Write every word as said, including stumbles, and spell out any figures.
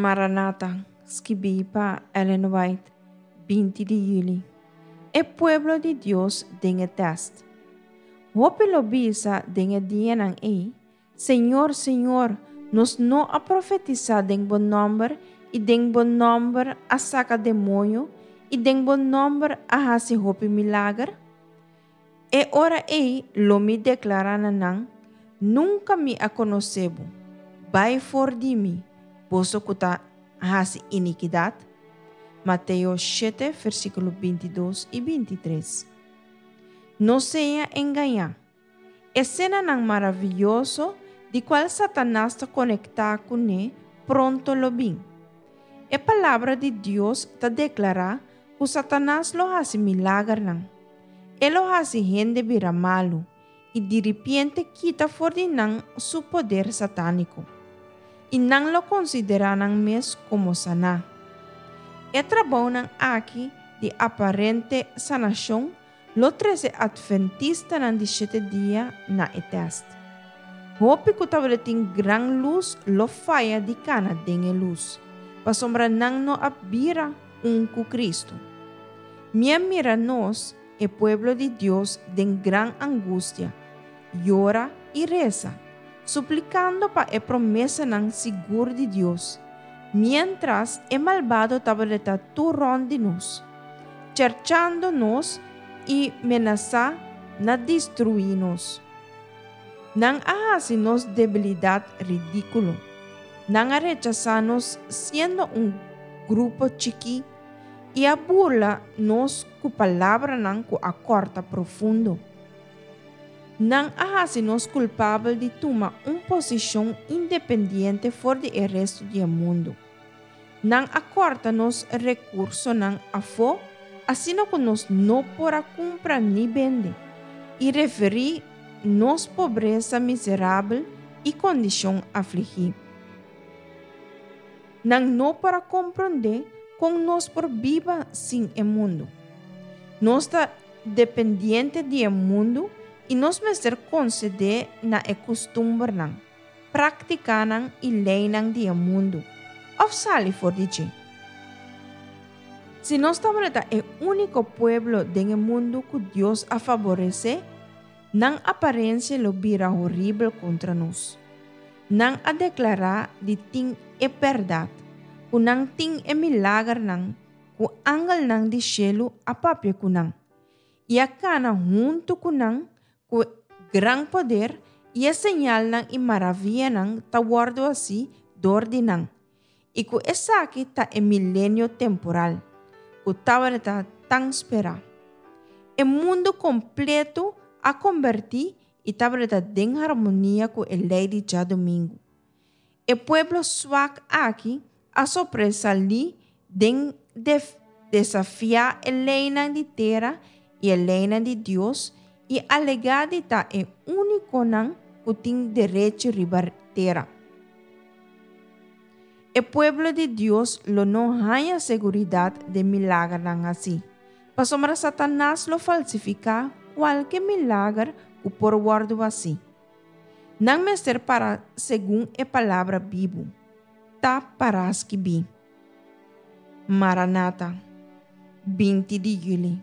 Maranata, skibí pa Ellen White, binti di yüli. E pueblo di Dios den e tèst. Hopi lo bisa den e dianan ei: "Señor, Señor, nos no a profetisá den bo nòmber i den bo nòmber a saka demoño i den bo nòmber a hasi hopi milager?" E ora ei lo mi deklará na nan: "Nunka mi a konosé bo. Bai for di mi, boso ku ta hasi inikidat." Mateo shete, versíkulo binti dos i binti tres. No sea engañá. Esenanan maravioso di kual Satanas ta konektá kuné pronto lo bin. E Palabra di Dios ta deklará ku Satanas lo hasi milagernan. E lo hasi hende bira malu i diripiente kita for di nan su poder satániko. I nan lo konsiderá nan mes komo saná. E trabounan aki di aparente sanashon lo trese Atventistanan di Shete Dia na e tèst. Hopi ku tabatin gran lus lo faya di kana den e lus, pasobra nan no a bira un ku Kristu. Mi a mira nos, e pueblo di Dios, den gran angustia, yora i resa, suplikando pa e promesanan sigur di Dios, miéntras e malbado tabata tur rònt di nos, cherchando nos i menasá na destruí nos. Nan a hasi nos debilidat ridíkulo. Nan a rechasá nos siendo un grupo chikí i a burla nos ku palabranan ku a kòrta profundo. Nan a hasi nos kulpabel di tuma un posishon independiente for di e restu di e mundu. Nan a kòrta nos rekursonan afó asina ku nos no por a kumpra ni bende, i referí nos pobresa miserabel i kondishon afligí. Nan no por a komprondé kon nos por biba sin e mundu. Nos ta dependiente di e mundu i nos mester konsedé na e kustumbernan, práktikanan i leinan di e mundu, òf sali for di dje. Si nos tabata e úniko pueblo den e mundu ku Dios a faboresé, nan aparensia lo bira horibel kontra nos. Nan a deklará di tin e bèrdat, ku nan tin e milagernan, ku angelnan di shelu a papia ku nan, i a kana huntu ku nan ku gran poder i e señalnan i maravianan ta wòrdu hasí dor di nan, i ku esaki ta e milenio temporal, ku tabata tan sperá. E mundu kompleto a kombertí i tabata den harmonia ku e lei di djadumingu. E pueblo swak aki a sobresalí den desafiá e leinan di tera i e leinan di Dios i alegá di ta e únikonan ku tin derecho riba tera. E pueblo di Dios lo no haña seguridat den milagernan hasí, pasobra Satanas lo falsifiká kualke milager ku por wòrdu hasí. Nan mester para segun e palabra bibu. Ta pará skibí. Maranata, binti di yüli.